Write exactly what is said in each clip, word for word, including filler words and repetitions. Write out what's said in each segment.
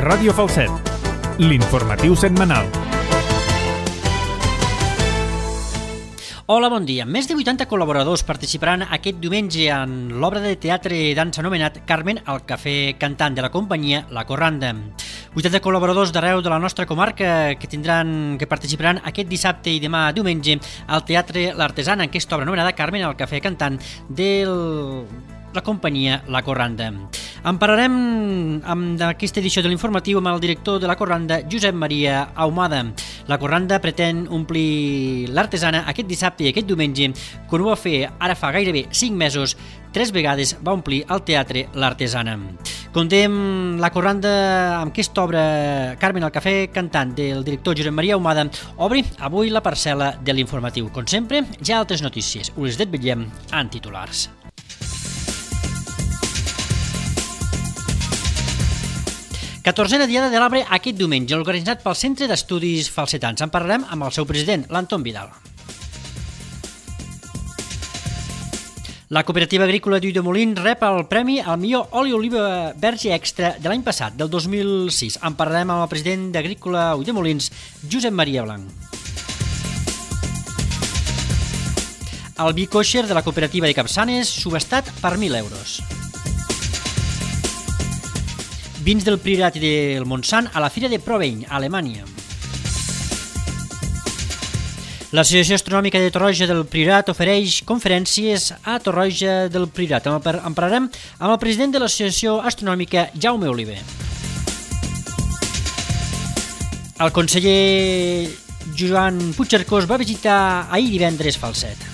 Ràdio Falset, l'informatiu setmanal. Hola, bon dia. Més de vuitanta col·laboradors participaran aquest diumenge en l'obra de teatre i dansa anomenat Carmen al Cafè Cantant de la companyia La Corranda. vuitanta col·laboradors d'arreu de la nostra comarca que tindran que participaran aquest dissabte i demà diumenge al Teatre L'Artesana en aquesta obra anomenada Carmen al Cafè Cantant de la companyia La Corranda. En parlarem amb aquesta edició de l'informatiu amb el director de La Corranda, Josep Maria Ahumada. La Corranda pretén omplir l'Artesana aquest dissabte i aquest diumenge, quan ho va fer ara fa gairebé cinc mesos, tres vegades va omplir el teatre L'Artesana. Contem La Corranda amb aquesta obra Carmen al Cafè Cantant del director Josep Maria Ahumada obri avui la parcel·la de l'informatiu. Com sempre, ja altres notícies. Us les desvetllem en titulars. catorzena diada de l'arbre aquest diumenge, organitzat pel Centre d'Estudis Falsetans. En parlarem amb el seu president, l'Anton Vidal. La cooperativa agrícola d'Ulldemolins rep el premi al millor oli oliva verge extra de l'any passat, del dos mil sis. En parlarem amb el president d'Agrícola Ulldemolins, Josep Maria Blanc. El vi kosher de la cooperativa de Capçanes, subestat per mil euros. Vins del Priorat i del Montsant a la Fira de Proveny, a Alemanya. L'Associació Astronòmica de Torroja del Priorat ofereix conferències a Torroja del Priorat. En parlarem amb el president de l'Associació Astronòmica, Jaume Oliver. El conseller Joan Puigcercós va visitar ahir divendres Falset.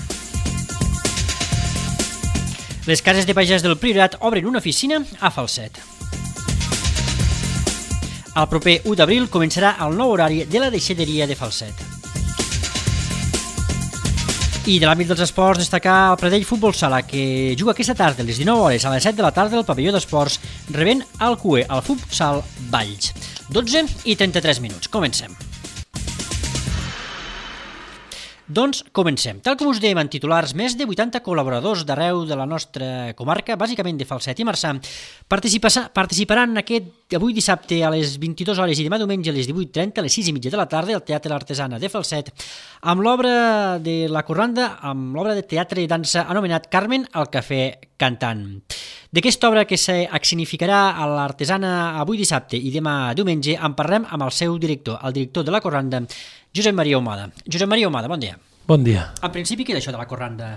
Les cases de pagès del Priorat obren una oficina a Falset. El proper u d'abril començarà el nou horari de la deixalleria de Falset. I de l'àmbit dels esports, destacar el Pradell Futbol Sala, que juga aquesta tarda a les dinou hores a les set de la tarda al pavelló d'esports, rebent el C U E, el Futsal Valls. dotze i trenta-tres minuts. Comencem. Doncs comencem. Tal com us dèiem en titulars, més de vuitanta col·laboradors d'arreu de la nostra comarca, bàsicament de Falset i Marçà, participaran aquest avui dissabte a les vint-i-dues hores i demà diumenge a les divuit trenta, a les sis i mitja de la tarda, al Teatre L'Artesana de Falset, amb l'obra de La Corranda, amb l'obra de teatre i dansa anomenat Carmen al Cafè Cantant. D'aquesta obra que s'escenificarà a l'Artesana avui dissabte i demà diumenge en parlem amb el seu director, el director de La Corranda, Josep Maria Ahumada. Josep Maria Ahumada, bon dia. Bon dia. En principi, què és això de La Corranda?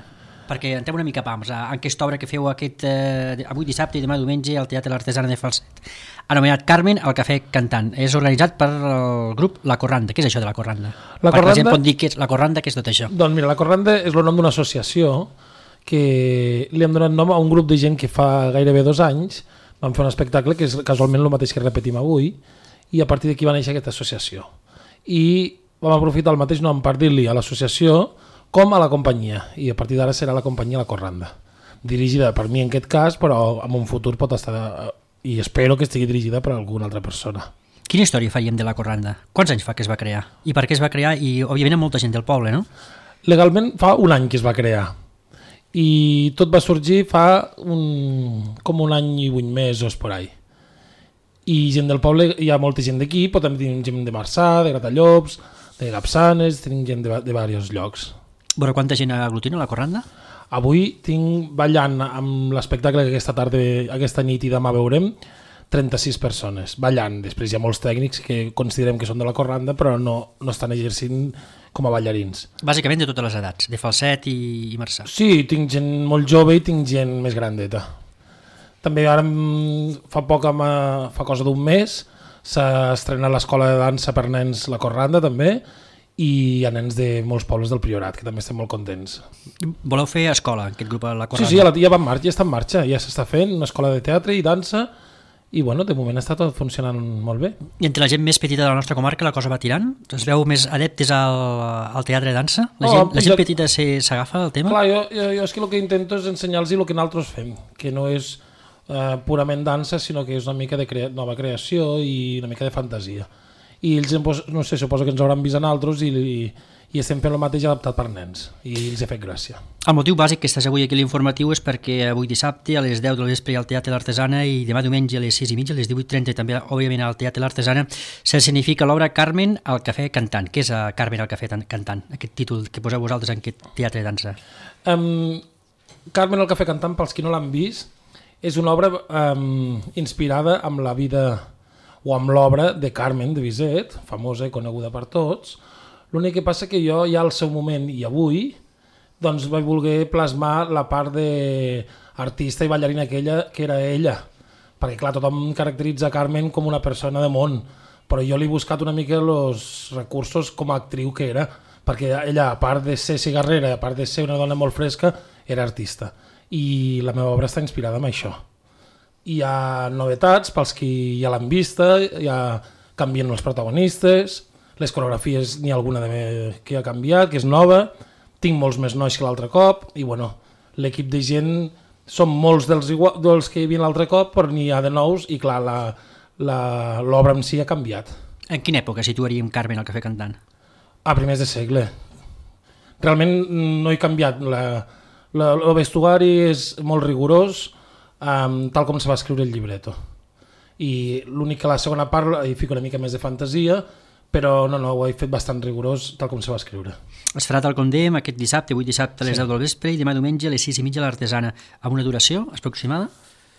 Perquè entrem una mica pams en aquesta obra que feu aquest, eh, avui dissabte i demà diumenge al Teatre L'Artesana de Falset, anomenat Carmen al Cafè Cantant. És organitzat per el grup La Corranda. Què és això de La Corranda? La Perquè Corranda... la gent pot dir que és La Corranda, què és tot això? Doncs mira, La Corranda és el nom d'una associació que li hem donat nom a un grup de gent que fa gairebé dos anys vam fer un espectacle que és casualment el mateix que repetim avui, i a partir d'aquí va néixer aquesta associació. I vam aprofitar el mateix nom per dir-li a l'associació com a la companyia, i a partir d'ara serà la companyia La Corranda, dirigida per mi en aquest cas, però en un futur pot estar, i espero que estigui dirigida per alguna altra persona. Quina història faríem de La Corranda? Quants anys fa que es va crear? I per què es va crear? I òbviament molta gent del poble, no? Legalment fa un any que es va crear, i tot va sorgir fa un, com un any i vuit mesos por ahí. I gent del poble, hi ha molta gent d'aquí, però també tenim gent de Marçà, de Gratallops, de Capçanes, tenim gent de, de diversos llocs. Veure quanta gent aglutina La Corranda? Avui tinc ballant amb l'espectacle que aquesta tarda, aquesta nit i demà veurem, trenta-sis persones ballant. Després hi ha molts tècnics que considerem que són de La Corranda però no, no estan exercint com a ballarins. Bàsicament de totes les edats, de Falset i, i Marçà. Sí, tinc gent molt jove i tinc gent més grandeta. També ara fa poc, fa cosa d'un mes, s'ha estrenat l'escola de dansa per nens La Corranda també, i hi ha nens de molts pobles del Priorat que també estem molt contents. Voleu fer escola, aquest grup La Corranda? Sí, sí, ja, va en marxa, ja està en marxa, ja s'està fent una escola de teatre i dansa, i bueno, de moment està tot funcionant molt bé. I entre la gent més petita de la nostra comarca la cosa va tirant? Es veu més adeptes al, al teatre de dansa? La gent, oh, la gent ja... petita s'agafa al tema? Clar, jo, jo, jo és que el que intento és ensenyar-los el que nosaltres fem, que no és uh, purament dansa, sinó que és una mica de crea... nova creació i una mica de fantasia. I ells, no sé, suposo que ens hauran vist a nosaltres i, i, i estem fent el mateix adaptat per nens i els ha fet gràcia. El motiu bàsic que estàs avui aquí a l'informatiu és perquè avui dissabte a les deu del vespre al Teatre L'Artesana i demà diumenge a les sis i mitja, a les divuit trenta també, òbviament, al Teatre L'Artesana s'escenifica l'obra Carmen al Cafè Cantant. Què és a Carmen al Cafè Cantant, aquest títol que poseu vosaltres en aquest teatre de dansa? Um, Carmen al Cafè Cantant, pels qui no l'han vist, és una obra um, inspirada amb la vida o amb l'obra de Carmen de Bizet, famosa i coneguda per tots. L'únic que passa que jo ja al seu moment i avui doncs vaig voler plasmar la part d'artista i ballarina aquella que era ella, perquè clar, tothom caracteritza Carmen com una persona de món, però jo li he buscat una mica els recursos com a actriu que era, perquè ella, a part de ser cigarrera, a part de ser una dona molt fresca, era artista. I la meva obra està inspirada en això. Hi ha novetats pels qui ja l'han vista, ja canvien els protagonistes, les coreografies n'hi ha alguna de que ha canviat, que és nova, tinc molts més nois que l'altre cop, i bueno, l'equip de gent són molts dels, igual, dels que hi havia l'altre cop, però n'hi ha de nous, i clar, l'obra en si ha canviat. En quina època situaríem Carmen al Cafè Cantant? A primers de segle. Realment no he canviat. La, la, el vestuari és molt rigorós, um, tal com se va escriure el llibreto. I l'únic que la segona part hi fico una mica més de fantasia, però no, no, ho he fet bastant rigorós tal com se va escriure. Es farà tal com dèiem aquest dissabte, avui dissabte a les sí. deu del vespre i demà diumenge a les sis i mitja a l'Artesana, amb una duració aproximada?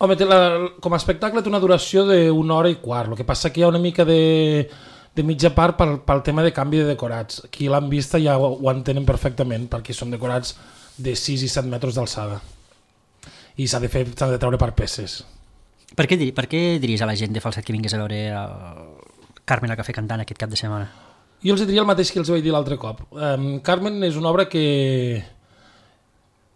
Home, té la, com a espectacle té una duració d'una hora i quart, el que passa que hi ha una mica de, de mitja part pel, pel tema de canvi de decorats. Qui l'han vista ja ho, ho entenen perfectament, perquè són decorats de sis i set metres d'alçada i s'ha de fer, s'ha de treure per peces. Per què, per què diries a la gent de Falset que vingués a veure el Carmen al Cafè Cantant aquest cap de setmana? Jo els diria el mateix que els vaig dir l'altre cop. Um, Carmen és una obra que...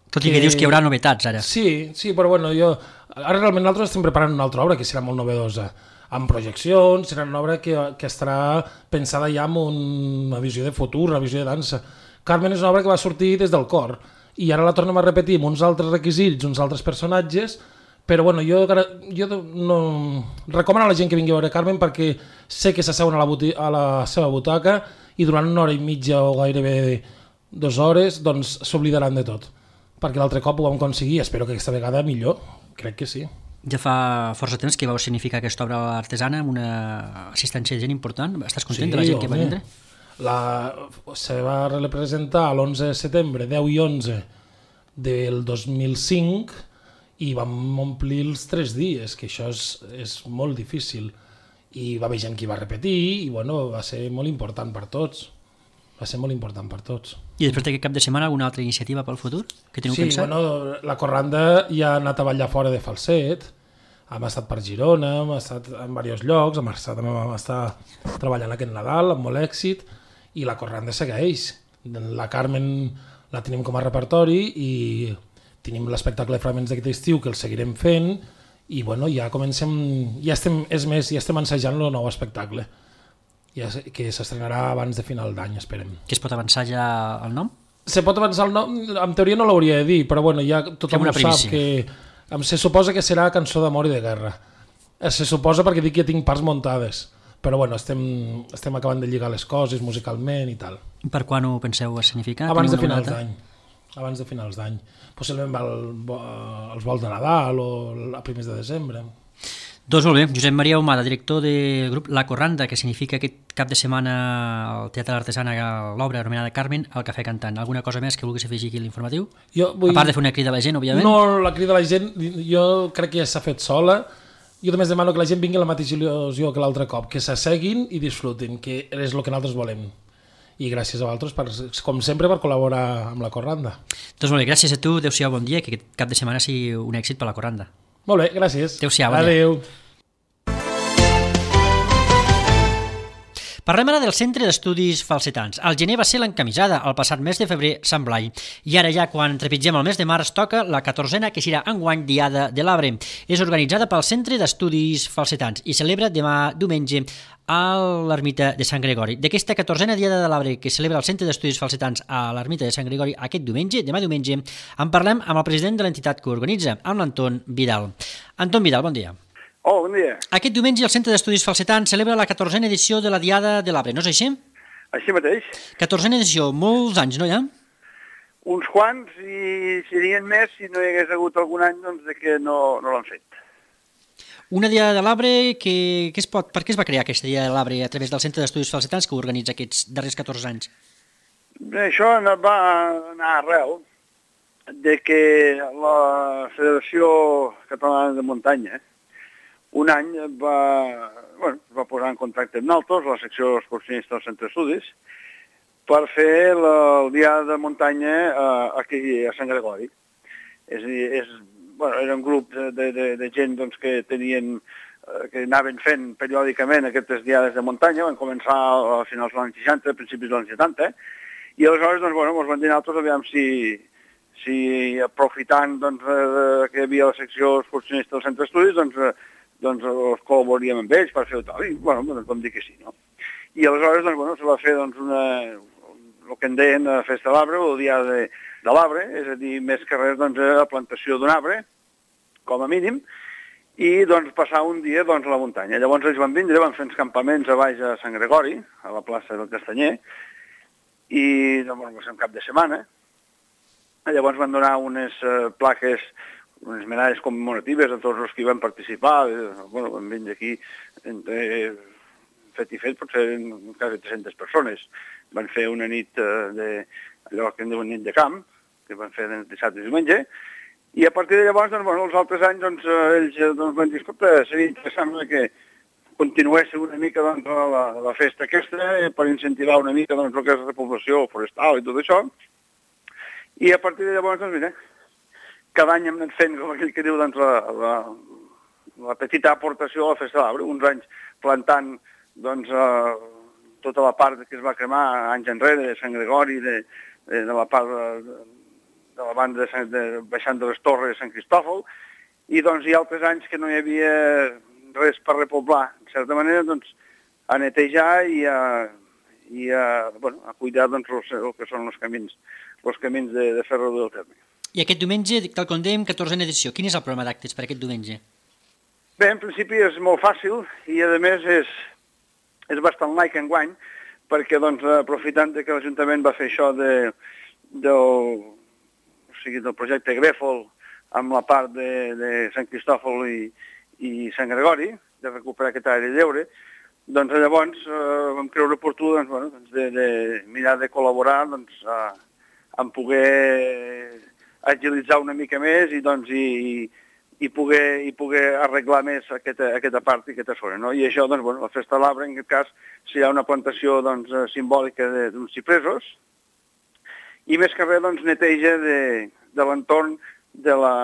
Tot i que, que dius que hi haurà novetats ara. Sí, sí, però bueno, jo... Ara realment nosaltres estem preparant una altra obra que serà molt novedosa, amb projeccions, serà una obra que, que estarà pensada ja amb una visió de futur, una visió de dansa. Carmen és una obra que va sortir des del cor, i ara la tornem a repetir amb uns altres requisits, uns altres personatges, però bueno, jo, jo no recomano a la gent que vingui a veure Carmen perquè sé que s'asseuen a, a la seva butaca i durant una hora i mitja o gairebé dues hores doncs s'oblidaran de tot, perquè l'altre cop ho vam aconseguir, espero que aquesta vegada millor, crec que sí. Ja fa força temps que vau significar aquesta obra artesana amb una assistència de gent important. Estàs content sí, de la gent home. que va vindre? La, se va representar l'onze de setembre, deu i onze del dos mil cinc, i vam omplir els tres dies, que això és, és molt difícil. I va haver gent que va repetir i bueno, va ser molt important per tots. Va ser molt important per tots. I després d'aquest cap de setmana alguna altra iniciativa pel futur que teniu sí, pensat? Sí, bueno, la Corranda ja ha anat a ballar fora de Falset, hem estat per Girona, hem estat en diversos llocs, hem estat, hem estat treballant aquest Nadal amb molt èxit i la Corranda segueix. La Carmen la tenim com a repertori i tenim l'espectacle de Fragments d'aquest estiu que el seguirem fent i bueno, ja comencem, ja estem, és més, ja estem ensajant el nou espectacle ja, que s'estrenarà abans de final d'any, esperem. Que es pot avançar ja el nom? Se pot avançar el nom, en teoria no l'hauria de dir, però bueno, ja tothom ho sap que se suposa que serà Cançó d'amor i de guerra. Se suposa perquè dic que tinc parts muntades, però bueno, estem, estem acabant de lligar les coses musicalment i tal. Per quan ho penseu escenificar? Abans de finals d'any. abans de finals d'any. Possiblement el, els vols de Nadal o a primers de desembre. Doncs molt bé, Josep Maria Humada, director del grup La Corranda, que significa aquest cap de setmana al Teatre d'Artesana l'obra anomenada Carmen al Cafè Cantant. Alguna cosa més que vulguis afegir aquí a l'informatiu? Vull... A part de fer una crida a la gent, òbviament. No, la crida a la gent jo crec que ja s'ha fet sola. Jo només demano que la gent vingui a la mateixa il·lusió que l'altre cop, que s'asseguin i disfrutin, que és el que nosaltres volem. I gràcies a vosaltres, per, com sempre, per col·laborar amb la Corranda. Doncs molt bé, gràcies a tu, adéu-siau, bon dia, que aquest cap de setmana sigui un èxit per la Corranda. Molt bé, gràcies. Adéu-siau, bon Adéu. dia. Parlem ara del Centre d'Estudis Falsetans. El gener va ser l'encamisada, el passat mes de febrer Sant Blai. I ara ja, quan trepitgem el mes de març, toca la catorzena que serà enguany Diada de l'Arbre. És organitzada pel Centre d'Estudis Falsetans i celebra demà diumenge a l'Ermita de Sant Gregori. D'aquesta catorzena Diada de l'Arbre que celebra el Centre d'Estudis Falsetans a l'Ermita de Sant Gregori aquest diumenge, demà diumenge, en parlem amb el president de l'entitat que organitza, amb l'Anton Vidal. Anton Vidal, bon dia. Oh, bon dia. Aquest diumenge el Centre d'Estudis Falsetans celebra la catorzena edició de la Diada de l'Arbre, no és així? Així mateix. catorzena edició, molts anys, no, ja? Uns quants, i serien més si no hi hagués hagut algun any doncs, de que no, no l'han fet. Una Diada de l'Arbre, que, que es pot, per què es va crear aquesta Diada de l'Arbre a través del Centre d'Estudis Falsetans que organitza aquests darrers catorze anys? Bé, això va anar arrel de que la Federació Catalana de Muntanya un any va, bueno, va posar en contacte amb nosaltres, la secció excursionista del Centre d'Estudis, per fer la, el dia de muntanya eh, aquí a Sant Gregori. És a dir, és, bueno, era un grup de, de, de, de gent doncs, que tenien, eh, que anaven fent periòdicament aquestes diades de muntanya, van començar a finals dels anys seixanta, a principis dels anys setanta, i aleshores doncs, bueno, ens van dir nosaltres, aviam si, si aprofitant doncs, eh, que hi havia la secció excursionista del Centre d'Estudis, doncs, eh, doncs els col·laboraríem amb ells per fer-ho tal, i bueno, doncs vam dir que sí, no? I aleshores, doncs, bueno, se va fer doncs, una, el que en deien la Festa de l'Arbre, o el dia de, de l'arbre, és a dir, més que res, doncs, la plantació d'un arbre, com a mínim, i doncs passar un dia doncs, a la muntanya. Llavors ells van vindre, van fer uns campaments a baix a Sant Gregori, a la plaça del Castanyer, i doncs, bueno, va ser un cap de setmana. Llavors van donar unes uh, plaques, unes medalles commemoratives a tots els que hi van participar. Bueno, van vindre aquí entre fet i fet, potser quasi tres-centes persones. Van fer una nit uh, de, allò que en diuen nit de camp, que van fer de dissabte i diumenge, i a partir de llavors, doncs, bueno, els altres anys, doncs, ells doncs, van dir, escolta, seria interessant que continuéssim una mica doncs, la, la festa aquesta per incentivar una mica doncs, el que és la repoblació forestal i tot això. I a partir de llavors, doncs, mira, cada any hem anat fent, com aquell que diu, doncs, la, la, la petita aportació a la Festa de l'Arbre, uns anys plantant doncs, uh, tota la part que es va cremar anys enrere, de Sant Gregori, de, de, de la part de, de la banda de, Sant, de baixant de les torres de Sant Cristòfol, i doncs hi ha altres anys que no hi havia res per repoblar, en certa manera, doncs, a netejar i a, i a, bueno, a cuidar doncs, els, el que són els camins, els camins de, de fer reduir el terme. I aquest diumenge, tal com dèiem, catorzena edició. Quin és el programa d'actes per aquest diumenge? Bé, en principi és molt fàcil i, a més, és, és bastant laic enguany, perquè, doncs, aprofitant que l'Ajuntament va fer això de, del, o sigui, del projecte Grèfol amb la part de, de Sant Cristòfol i, i Sant Gregori, de recuperar aquesta àrea lliure, doncs llavors eh, vam creure oportú doncs, bueno, doncs de, de mirar de col·laborar doncs, a, en poder agilitzar una mica més i, doncs, i, i, poder, i poder arreglar més aquesta, aquesta part i aquesta zona. No? I això, doncs, bueno, la Festa de l'Arbre, en aquest cas, serà una plantació doncs, simbòlica d'uns xipresos i més que res doncs, neteja de, de l'entorn de la,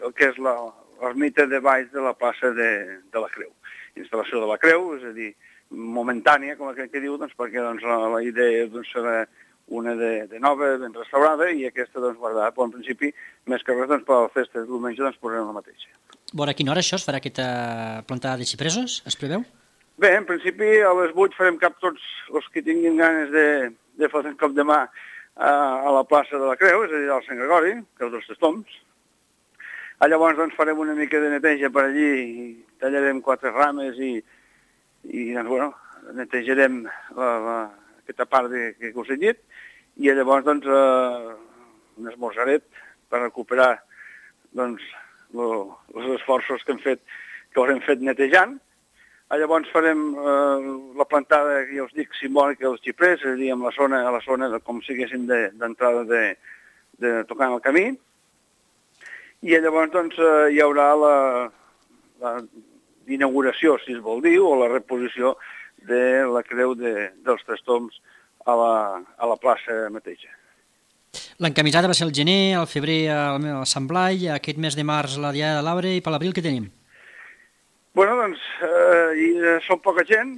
del que és l'ermita de baix de la plaça de, de la Creu. Instal·lació de la Creu, és a dir, momentània, com aquell que diu, doncs, perquè doncs, la, la idea doncs, serà una de, de nova, ben restaurada, i aquesta doncs, guardada. Però en principi, més que res, doncs, per la festa de diumenge doncs, posarem la mateixa. Bona, a quina hora això es farà aquesta plantada de xipresos? Es preveu? Bé, en principi a les vuit farem cap tots els que tinguin ganes de, de fer un cop de mà a, a la plaça de la Creu, és a dir, al Sant Gregori, Creu dels Testoms. A llavors doncs, farem una mica de neteja per allí, i tallarem quatre rames i, i doncs, bueno, netejarem la, la, aquesta part de, que us he dit, i llavors doncs, eh, un esmorzaret per recuperar doncs, lo, els esforços que hem fet, que haurem fet netejant. Llavors farem eh, la plantada, ja us dic, simbòlica dels xiprers, és a dir, amb la zona, a la zona de, com si haguessin d'entrada de, de, de tocar en el camí. I llavors doncs, eh, hi haurà la, la inauguració, si es vol dir, o la reposició de la creu de, dels Testoms a la, a la plaça mateixa. L'encamisada va ser el gener, el febrer el, el Sant Blai, aquest mes de març la Diada de l'Arbre, i per l'abril què tenim? Bueno, doncs, eh, i, eh, som poca gent,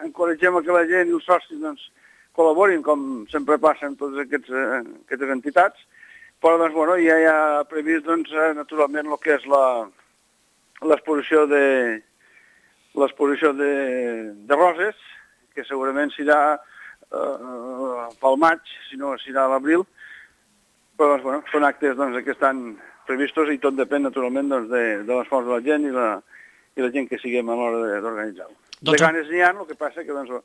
encoratgem que la gent i els socis doncs, col·laborin, com sempre passa en totes aquests, eh, aquestes entitats, però doncs, bueno, ja hi ha previst doncs, eh, naturalment el que és l'exposició de l'exposició de, de roses, que segurament serà eh, pel maig, si no serà a l'abril, però doncs, bueno, són actes doncs, que estan previstos i tot depèn naturalment doncs, de, de l'esforç de la gent i la, i la gent que siguem a l'hora d'organitzar-ho. Doncs... De ganes n'hi ha, el que passa que doncs,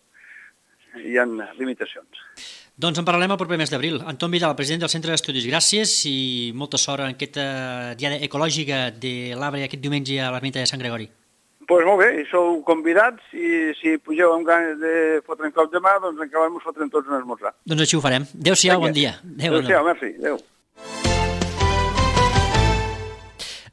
hi ha limitacions. Doncs en parlarem el proper mes d'abril. Anton Vidal, president del Centre d'Estudis, gràcies i molta sort en aquesta diada ecològica de l'Arbre aquest diumenge a l'ermita de Sant Gregori. Doncs pues molt bé, i sou convidats i si pugeu amb ganes de fotre un cop de mà, doncs encara ens fotrem tots un esmorzar. Doncs així ho farem. Adéu-siau, bon dia. Adéu-siau, merci. Adéu.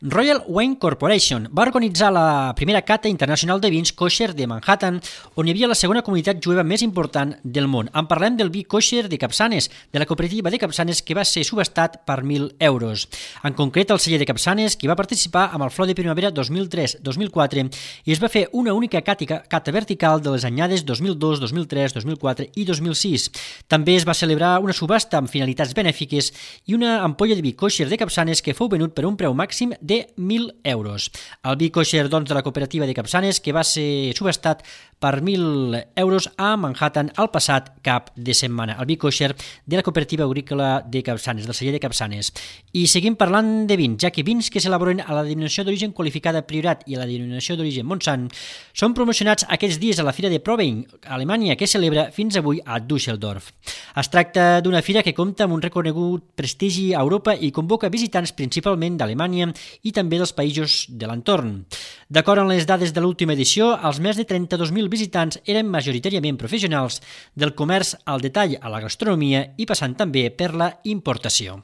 Royal Wine Corporation va organitzar la primera cata internacional de vins kosher de Manhattan, on hi havia la segona comunitat jueva més important del món. En parlem del vi kosher de Capçanes, de la cooperativa de Capçanes, que va ser subestat per mil euros. En concret, el celler de Capçanes, que va participar amb el Flor de Primavera dos mil tres dos mil quatre i es va fer una única cata, cata vertical de les anyades dos mil dos, dos mil tres, dos mil quatre i dos mil sis. També es va celebrar una subhasta amb finalitats benèfiques i una ampolla de vi kosher de Capçanes que fou venut per un preu màxim de mil euros. El vi kosher, doncs, de la cooperativa de Capçanes, que va ser subestat per mil euros a Manhattan el passat cap de setmana. El vi kosher de la cooperativa agrícola de Capçanes, del celler de Capçanes. I seguim parlant de vins, ja que vins que s'elaboren a la denominació d'origen qualificada Priorat i a la denominació d'origen Montsant són promocionats aquests dies a la Fira de Provein, a Alemanya, que celebra fins avui a Düsseldorf. Es tracta d'una fira que compta amb un reconegut prestigi a Europa i convoca visitants principalment d'Alemanya i també dels països de l'entorn. D'acord amb les dades de l'última edició, els més de trenta-dos mil visitants eren majoritàriament professionals del comerç al detall a la gastronomia i passant també per la importació.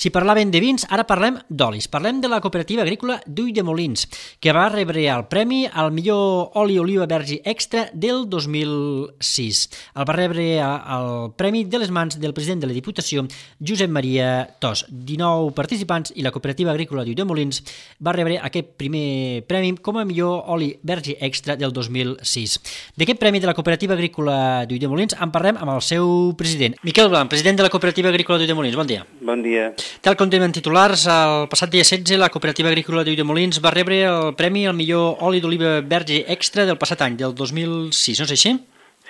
Si parlaven de vins, ara parlem d'olis. Parlem de la cooperativa agrícola d'Ulldemolins, que va rebre el premi al millor oli oliva verge extra del dos mil sis. El va rebre el premi de les mans del president de la Diputació, Josep Maria Tos. dinou participants i la cooperativa agrícola d'Ulldemolins va rebre aquest primer premi com a millor oli verge extra del dos mil sis. D'aquest premi de la cooperativa agrícola d'Ulldemolins en parlem amb el seu president. Miquel Blanc, president de la cooperativa agrícola d'Ulldemolins. Bon dia. Bon dia. Tal com tenen titulars, el passat dia setze la cooperativa agrícola d'Ulldemolins va rebre el premi al millor oli d'oliva verge extra del passat any, del dos mil sis, no és així?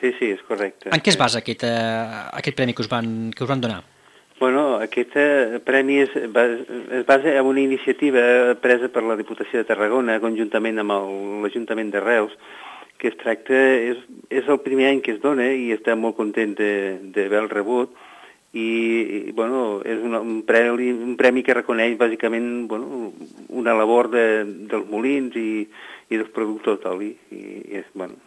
Sí, sí, és correcte. En què es basa aquest, uh, aquest premi que us, van, que us van donar? Bueno, aquest uh, premi es, es basa en una iniciativa presa per la Diputació de Tarragona conjuntament amb l'Ajuntament de Reus, que es tracta, és, és el primer any que es dona i estem molt contents d'haver-lo rebut. I, bueno, és un, un, premi, un premi que reconeix bàsicament, bueno, una labor de, dels molins i, i dels productors d'oli. I, i és, bueno.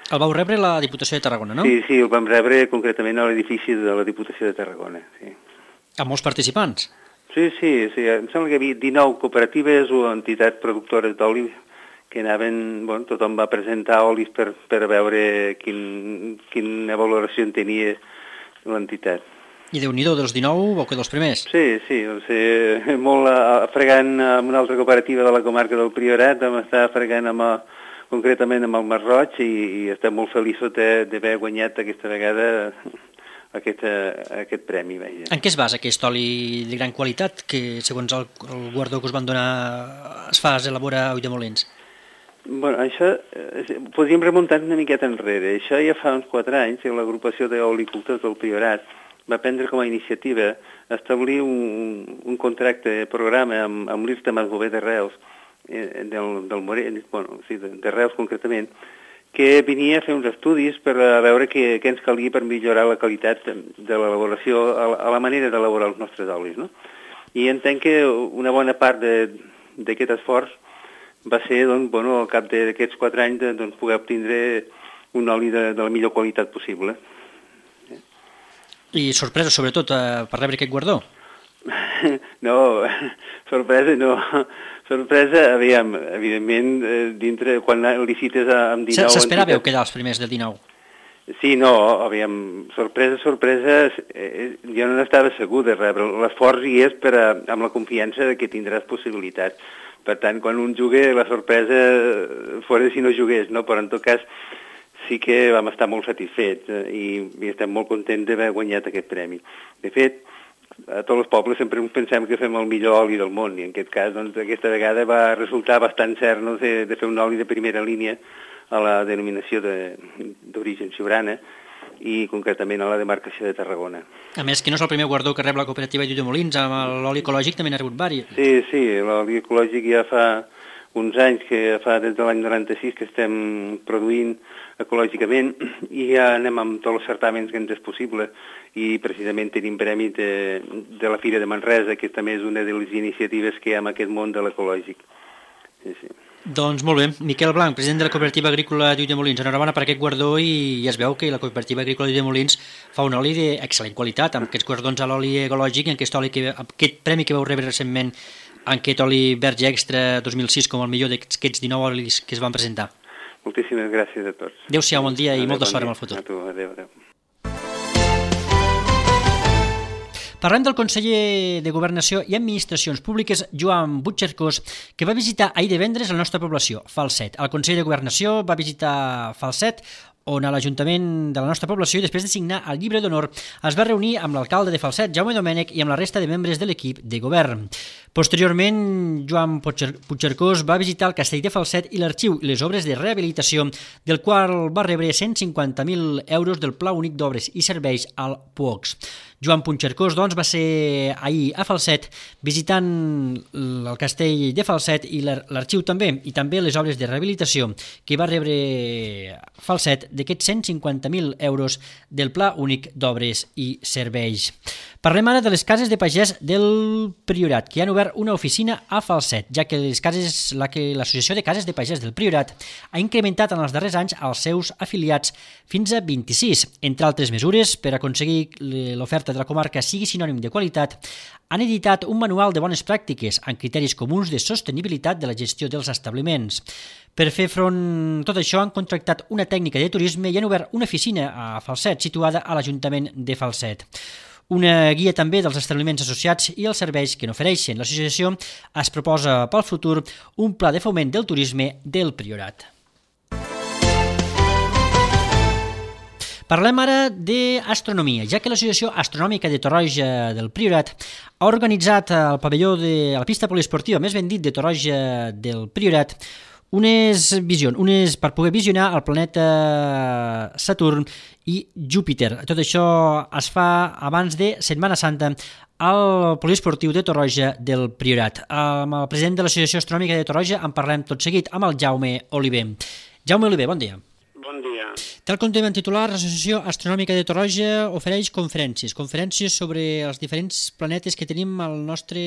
El vau rebre la Diputació de Tarragona, no? Sí, sí, el vam rebre concretament a l'edifici de la Diputació de Tarragona. Sí. Amb molts participants? Sí, sí, sí, em sembla que hi havia dinou cooperatives o entitats productores d'oli que anaven, bueno, tothom va presentar olis per, per veure quin, quina valoració en tenia l'entitat. I Déu-n'hi-do, dels dinou vau quedar els primers? Sí, sí, o sigui, molt fregant amb una altra cooperativa de la comarca del Priorat, vam estar fregant amb, concretament amb el Masroig i, i estem molt feliços d'haver guanyat aquesta vegada aquest, aquest premi. Veia. En què es basa aquest oli de gran qualitat que, segons el, el guardó que us van donar, es fa, es elabora a Ulldemolins? Bueno, això, podríem remuntar una miqueta enrere. Això ja fa uns quatre anys, l'agrupació d'olicultors del Priorat va prendre com a iniciativa establir un, un contracte, programa amb, amb l'I R T Masbové de Reus, eh, del, del Morell, bueno, sí, de, de Reus concretament, que venia a fer uns estudis per a veure què, què ens calia per millorar la qualitat de l'elaboració, a, a la manera d'elaborar els nostres olis, no? I entenc que una bona part d'aquest esforç va ser, doncs, bueno, al cap d'aquests quatre anys, doncs, poder obtindre un oli de, de la millor qualitat possible. I sorpresa, sobretot, eh, per rebre aquest guardó? No, sorpresa no. Sorpresa, aviam, evidentment, dintre, quan licites amb dinou... S'esperàveu quedar els primers del dinou? Sí, no, aviam, sorpresa, sorpresa, eh, jo no n'estava segur de rebre. L'esforç hi és per a, amb la confiança de que tindràs possibilitats. Per tant, quan un jugué, la sorpresa fora si no jugués, no? Però en tot cas sí que vam estar molt satisfets eh, i, i estem molt contents d'haver guanyat aquest premi. De fet, a tots els pobles sempre pensem que fem el millor oli del món i en aquest cas, doncs, aquesta vegada va resultar bastant cert, no?, de, de fer un oli de primera línia a la denominació d'origen Siurana i concretament a la demarcació de Tarragona. A més, que no és el primer guardó que rep la cooperativa d'Ulldemolins, amb l'oli ecològic també n'ha rebut diversos. Sí, sí, l'oli ecològic ja fa uns anys, que fa des de l'any noranta-sis que estem produint ecològicament i ja anem amb tots els certàmens que ens és possible i precisament tenim premi de, de la Fira de Manresa, que també és una de les iniciatives que hi ha en aquest món de l'ecològic. Sí, sí. Doncs molt bé. Miquel Blanc, president de la Cooperativa Agrícola d'Ulldemolins, enhorabona per aquest guardó i ja es veu que la Cooperativa Agrícola d'Ulldemolins fa un oli d'excel·lent qualitat, amb aquests guardons a l'oli ecològic, en aquest, oli que, aquest premi que vau rebre recentment en aquest oli verge extra dos mil sis com el millor d'aquests dinou olis que es van presentar. Moltíssimes gràcies a tots. Adéu-siau, bon dia i adéu, molta bon sort dia. en el futur. A tu, adéu, adéu. Parlem del conseller de Governació i Administracions Públiques, Joan Puigcercós, que va visitar ahir divendres la nostra població, Falset. El conseller de Governació va visitar Falset, on a l'Ajuntament de la nostra població, i després de signar el llibre d'honor, es va reunir amb l'alcalde de Falset, Jaume Domènech, i amb la resta de membres de l'equip de govern. Posteriorment, Joan Puigcercós va visitar el castell de Falset i l'arxiu i les obres de rehabilitació, del qual va rebre cent cinquanta mil euros del Pla Únic d'Obres i Serveis al P U O X. Joan Puigcercós, doncs, va ser ahir a Falset visitant el castell de Falset i l'arxiu també, i també les obres de rehabilitació que va rebre Falset d'aquests cent cinquanta mil euros del Pla Únic d'Obres i Serveis. Parlem ara de les cases de pagès del Priorat, que han obert una oficina a Falset, ja que les cases, la que l'Associació de Cases de Pagès del Priorat ha incrementat en els darrers anys els seus afiliats fins a vint-i-sis. Entre altres mesures, per aconseguir l'oferta de la comarca sigui sinònim de qualitat, han editat un manual de bones pràctiques amb criteris comuns de sostenibilitat de la gestió dels establiments. Per fer front a tot això, han contractat una tècnica de turisme i han obert una oficina a Falset, situada a l'Ajuntament de Falset. Una guia també dels establiments associats i els serveis que n'ofereixen. L'associació es proposa pel futur un pla de foment del turisme del Priorat. Parlem ara d'astronomia, ja que l'Associació Astronòmica de Torroja del Priorat ha organitzat al pavelló de la pista poliesportiva, més ben dit, de Torroja del Priorat, unes visions, unes per poder visionar el planeta Saturn i Júpiter. Tot això es fa abans de Setmana Santa al poliesportiu de Torroja del Priorat. Amb el president de l'Associació Astronòmica de Torroja en parlem tot seguit amb el Jaume Oliver. Jaume Oliver, bon dia. Bon dia. Tal com tenim en titular, l'Associació Astronòmica de Torroja ofereix conferències, conferències sobre els diferents planetes que tenim al nostre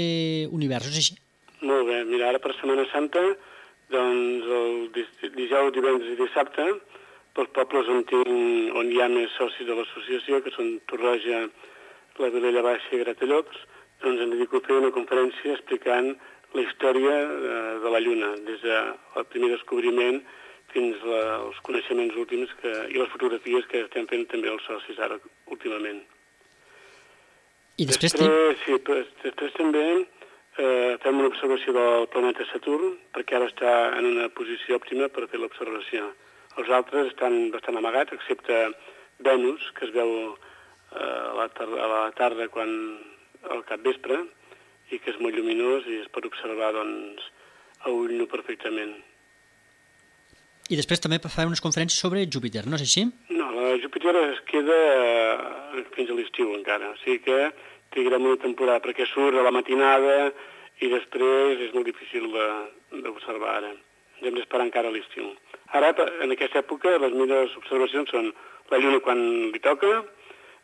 univers, és així? Molt bé, mira, ara per Setmana Santa, doncs el dijous, divendres i dissabte, pels pobles on, tinc, on hi ha més socis de l'associació, que són Torroja, la Vilella Baixa i Gratallops, doncs em dedico a fer una conferència explicant la història de la Lluna, des del primer descobriment fins als coneixements últims que, i les fotografies que estem fent també els socis ara últimament. I després, després, sí, després també eh, fem una observació del planeta Saturn, perquè ara està en una posició òptima per fer l'observació. Els altres estan bastant amagats, excepte Venus, que es veu eh, a, la tarda, a la tarda quan, al capvespre, i que és molt lluminós i es pot observar doncs, a ull nu perfectament. I després també farà unes conferències sobre Júpiter, no és així? No, la Júpiter es queda eh, fins a l'estiu encara, o sigui que trigarem una temporada perquè surt a la matinada i després és molt difícil d'observar ara. Ens hem d'esperar encara a l'estiu. Ara, en aquesta època, les millors observacions són la Lluna quan li toca,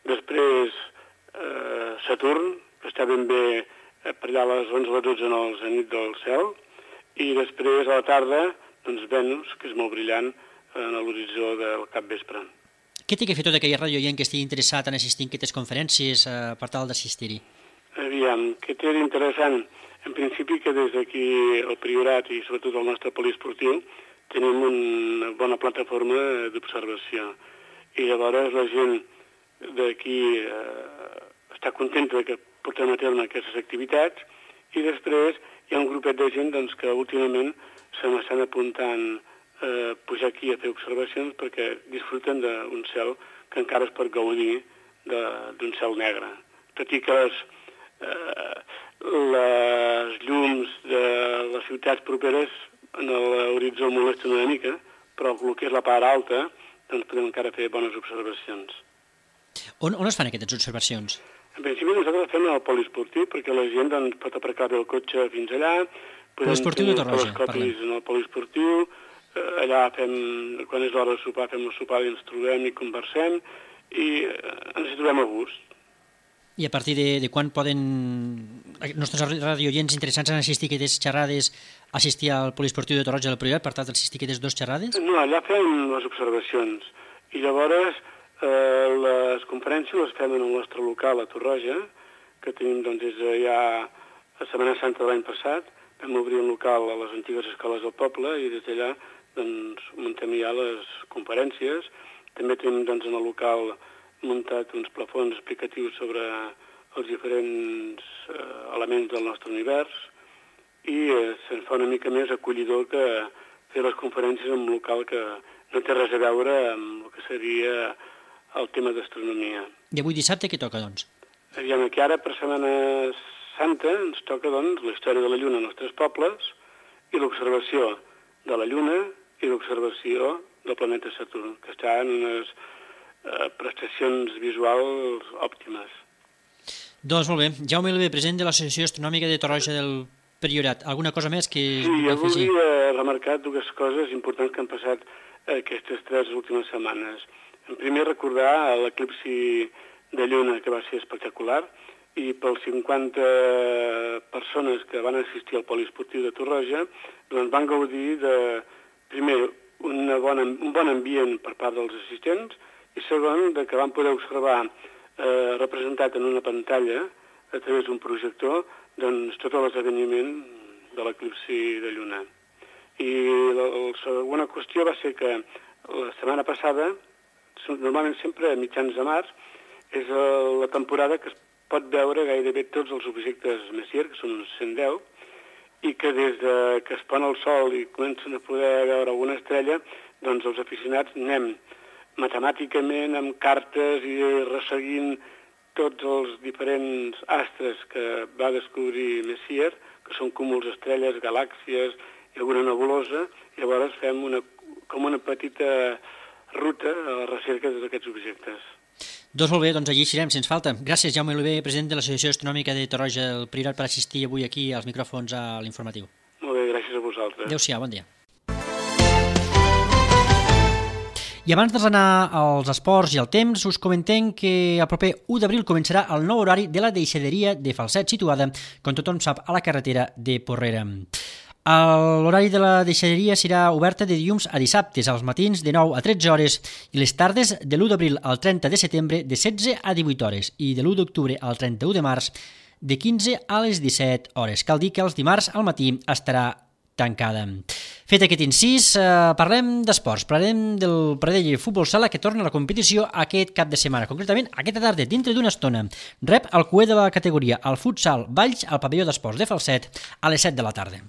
després eh, Saturn, que està ben bé per allà a les onze o les dotze en el zenit del cel, i després a la tarda doncs Venus, que és molt brillant en l'horitzó del capvespre. Què té que fer tot aquell radioient que estigui interessat en assistir a aquestes conferències eh, per tal d'assistir-hi? Aviam, què té d'interessant? En principi que des d'aquí el Priorat i sobretot el nostre poliesportiu tenim una bona plataforma d'observació. I llavors la gent d'aquí eh, està contenta que portem a terme aquestes activitats i després hi ha un grupet de gent doncs, que últimament se m'estan apuntant a eh, pujar aquí a fer observacions perquè disfruten d'un cel que encara es pot gaudir d'un cel negre. Tot i que les, eh, les llums de les ciutats properes en l'horitzó molesten una mica, però el que és la part alta doncs podem encara fer bones observacions. On, on es fan aquestes observacions? En principi nosaltres fem el poliesportiu perquè la gent doncs, pot aparcar bé el cotxe fins allà, Poliesportiu de Torroja, parlem. En el poliesportiu, allà fem, quan és l'hora de sopar, fem el sopar i ens trobem i conversem i ens hi trobem a gust. I a partir de, de quan poden els nostres radioients interessants en assistir a aquestes xerrades assistir al poliesportiu de Torroja del Priorat per tal d'assistir a aquestes dues xerrades? No, allà fem les observacions i llavors eh, les conferències les fem en el nostre local a Torroja, que tenim doncs des de ja a Setmana Santa de l'any passat. Vam obrir un local a les antigues escoles del poble i des d'allà doncs, muntem ja les conferències. També tenim doncs, en el local muntat uns plafons explicatius sobre els diferents eh, elements del nostre univers i eh, se'n fa una mica més acollidor que fer les conferències en un local que no té res a veure amb el que seria el tema d'astronomia. I avui dissabte què toca, doncs? Aviam, aquí ara per Setmana Santa ens toca doncs, la història de la Lluna als nostres pobles i l'observació de la Lluna i l'observació del planeta Saturn, que està en unes eh, prestacions visuals òptimes. Doncs molt bé. Jaume Oliver, president de l'Associació Astronòmica de Torroja del Priorat. Alguna cosa més que sí, jo volia remarcar dues coses importants que han passat aquestes tres últimes setmanes. En primer, recordar l'eclipsi de Lluna, que va ser espectacular, i pels cinquanta persones que van assistir al poliesportiu de Torroja, doncs van gaudir de, primer, una bona, un bon ambient per part dels assistents, i segon, de que van poder observar eh, representat en una pantalla, a través d'un projector, doncs tot l'esdeveniment de l'eclipsi de Lluna. I la, la segona qüestió va ser que la setmana passada, normalment sempre a mitjans de març, és la temporada que es pot veure gairebé tots els objectes Messier, que són uns cent deu, i que des de que es pon el sol i comencen a poder veure alguna estrella, doncs els aficionats anem matemàticament amb cartes i resseguint tots els diferents astres que va descobrir Messier, que són cúmuls estrelles, galàxies i alguna nebulosa, i llavors fem una, com una petita ruta a la recerca d'aquests objectes. Doncs molt bé, doncs allí serem, sense falta. Gràcies, Jaume Oliver, president de l'Associació Astronòmica de Torroja del Priorat, per assistir avui aquí als micròfons a l'informatiu. Molt bé, gràcies a vosaltres. Adéu-siau, bon dia. I abans d'anar als esports i al temps, us comentem que el proper u d'abril començarà el nou horari de la deixaderia de Falset, situada, com tothom sap, a la carretera de Porrera. L'horari de la deixaderia serà oberta de dilluns a dissabtes, als matins de nou a tretze hores i les tardes de l'u d'abril al trenta de setembre de setze a divuit hores i de l'u d'octubre al trenta-u de març de quinze a les disset hores. Cal dir que els dimarts al matí estarà tancada. Fet aquest incís, eh, parlem d'esports. Parlem del Pradell Futbol Sala, que torna a la competició aquest cap de setmana. Concretament, aquesta tarda, dintre d'una estona, rep el cuer de la categoria, el futsal Valls, al pavelló d'esports de Falset, a les set de la tarda.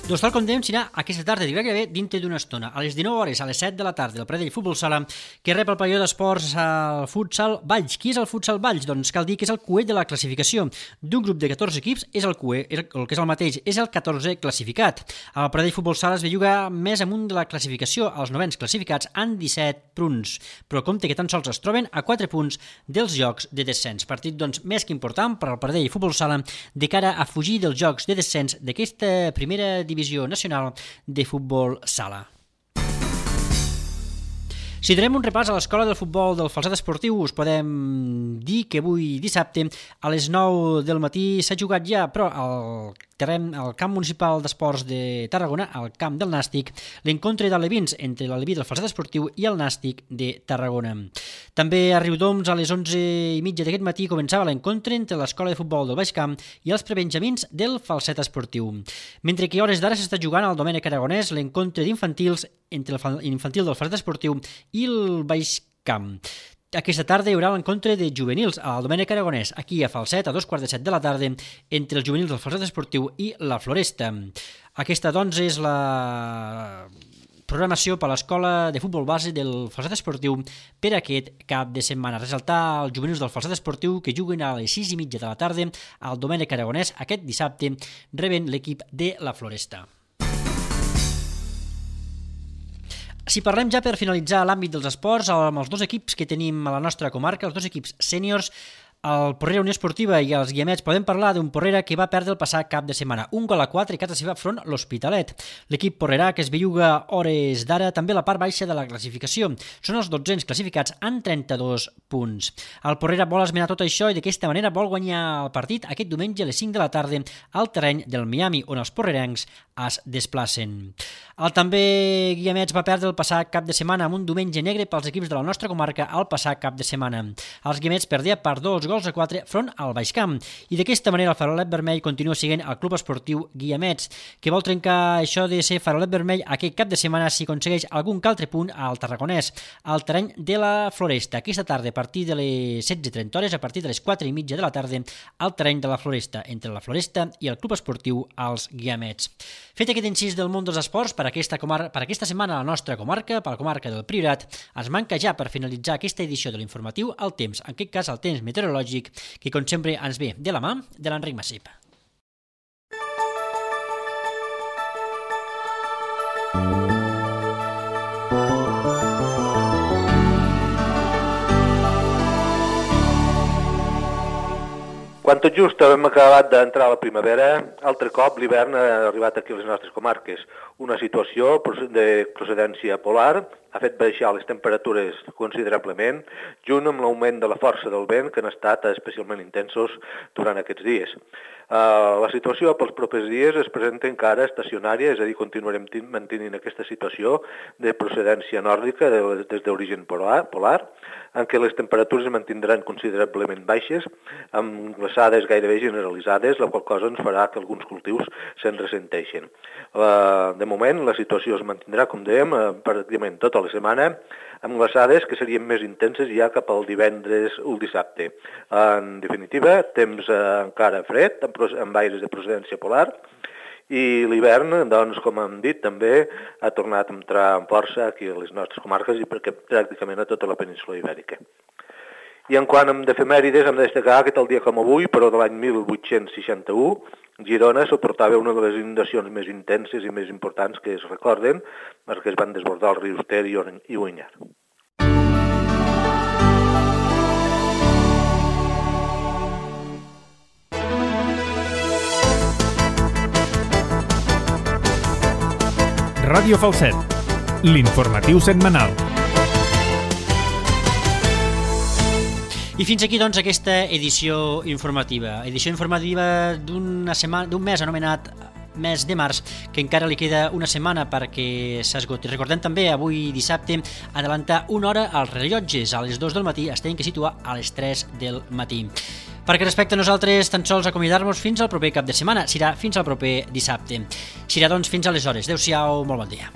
Doncs tal com dèiem, serà aquesta tarda, gairebé dintre d'una estona, a les dinou hores, a les set de la tarda, el Pradell Futbol Sala, que rep el pavelló d'esports al futsal Valls. Qui és el futsal Valls? Doncs cal dir que és el cuer de la classificació. D'un grup de catorze equips és el cuer, el que és el mateix, és el catorzè classificat. El Pradell Futbol Sala es belluga més amunt de la classificació, els novens classificats han disset punts, però compte que tan sols es troben a quatre punts dels jocs de descens. Partit, doncs, més que important per al Pradell Futbol Sala de cara a fugir dels jocs de descens d'aquesta primera divisió nacional de futbol sala. Si donem un repàs a l'escola del futbol del Falset Esportiu, us podem dir que avui dissabte a les nou del matí s'ha jugat ja, però al terreny, al camp municipal d'esports de Tarragona, al camp del Nàstic, l'encontre d'alevins entre l'aleví del Falset Esportiu i el Nàstic de Tarragona. També a Riudoms, a les onze i mitja d'aquest matí, començava l'encontre entre l'escola de futbol del Baix Camp i els prebenjamins del Falset Esportiu. Mentre que a hores d'ara s'està jugant al Domènec Aragonès l'encontre d'infantils entre l'infantil del Falset Esportiu i el Baix Camp. Aquesta tarda hi haurà l'encontre de juvenils al Domènec Aragonès, aquí a Falset, a dos quarts de set de la tarda, entre els juvenils del Falset Esportiu i la Floresta. Aquesta, doncs, és la programació per l'Escola de Futbol Base del Falset Esportiu per aquest cap de setmana. Ressaltar els juvenils del Falset Esportiu que juguen a les sis i mitja de la tarda al Domènec Aragonès aquest dissabte, reben l'equip de la Floresta. Si parlem ja per finalitzar l'àmbit dels esports, amb els dos equips que tenim a la nostra comarca, els dos equips sèniors, el Porrera Unió Esportiva i els Guiamets, podem parlar d'un Porrera que va perdre el passat cap de setmana. Un gol a quatre i casa seva front l'Hospitalet. L'equip porrerà, que es belluga hores d'ara, també la part baixa de la classificació. Són els dotzens classificats amb trenta-dos punts. El Porrera vol esmenar tot això i d'aquesta manera vol guanyar el partit aquest diumenge a les cinc de la tarda al terreny del Miami, on els porrerencs es desplacen. El també Guiamets va perdre el passat cap de setmana amb un diumenge negre pels equips de la nostra comarca el passat cap de setmana. Els Guiamets perdia per dos gols a quatre front al Baixcamp i d'aquesta manera el farolet vermell continua sent el club esportiu Guiamets, que vol trencar això de ser farolet vermell aquest cap de setmana si aconsegueix algun que altre punt al Tarragonès, al terreny de la Floresta, aquesta tarda a partir de les setze i trenta hores, a partir de les quatre i mitja de la tarda al terreny de la Floresta, entre la Floresta i el club esportiu els Guiamets. Fet aquest incís del món dels esports per aquesta, comar per aquesta setmana a la nostra comarca, per la comarca del Priorat, ens manca ja per finalitzar aquesta edició de l'informatiu el temps, en aquest cas el temps meteorològic, que com sempre ens ve de la mà de l'Enric Massip. Quan tot just hem acabat d'entrar a la primavera, altre cop l'hivern ha arribat aquí a les nostres comarques. Una situació de procedència polar ha fet baixar les temperatures considerablement, junt amb l'augment de la força del vent, que han estat especialment intensos durant aquests dies. Uh, la situació pels propers dies es presenta encara estacionària, és a dir, continuarem mantenint aquesta situació de procedència nòrdica de, des d'origen polar, polar, en què les temperatures es mantindran considerablement baixes, amb glaçades gairebé generalitzades, la qual cosa ens farà que alguns cultius se'n ressenteixen. Uh, de moment, la situació es mantindrà, com dèiem, uh, pràcticament tota la setmana, amb glaçades que serien més intenses ja cap al divendres o el dissabte. En definitiva, temps eh, encara fred, amb, amb aires de procedència polar, i l'hivern, doncs, com hem dit, també ha tornat a entrar amb força aquí a les nostres comarques i perquè pràcticament a tota la península ibèrica. I en quant a d'efemèrides, hem de destacar que tal dia com avui, però de l'any mil vuit-cents seixanta-u, Girona suportava una de les inundacions més intenses i més importants que es recorden, perquè es van desbordar els rius Ter i Onyar. Ràdio Falset, l'informatiu setmanal. I fins aquí, doncs, aquesta edició informativa. Edició informativa d'una setmana, d'un mes anomenat mes de març, que encara li queda una setmana perquè s'esgoti. Recordem també, avui dissabte, adelantar una hora als rellotges. A les dues del matí es tenen que situar a les tres del matí. Perquè respecte a nosaltres, tan sols acomiadar-nos fins al proper cap de setmana. Serà fins al proper dissabte. Serà, doncs, fins aleshores. Adéu-siau, molt bon dia.